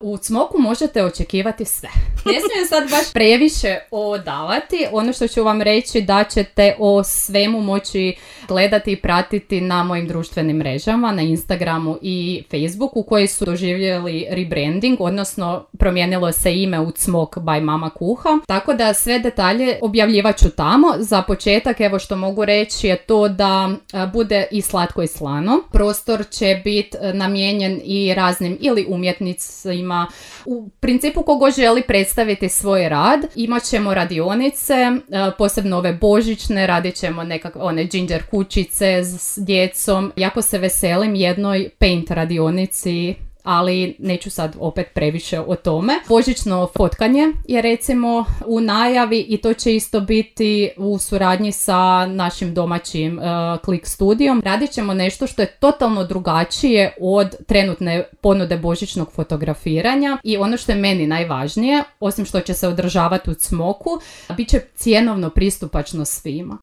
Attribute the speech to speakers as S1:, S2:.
S1: U Cmoku možete očekivati sve. Ne smijem sad baš previše odavati. Ono što ću vam reći da ćete o svemu moći gledati i pratiti na mojim društvenim mrežama, na Instagramu i Facebooku, koji su doživjeli rebranding, odnosno promijenilo se ime u Cmok by Mama Kuha. Tako da sve detalje objavljivat ću tamo. Za početak, evo što mogu reći je to da bude i slatko i slano. Prostor će biti namijenjen i raznim ili umjetnicima, u principu kogo želi predstaviti svoj rad. Imat ćemo radionice, posebno ove božićne, radit ćemo nekakve one ginger kućice s djecom. Jako se veselim jednoj paint radionici, ali neću sad opet previše o tome. Božićno fotkanje je recimo u najavi i to će isto biti u suradnji sa našim domaćim Click studijom. Radit ćemo nešto što je totalno drugačije od trenutne ponude božićnog fotografiranja i ono što je meni najvažnije, osim što će se održavati u Cmoku, bit će cjenovno pristupačno svima.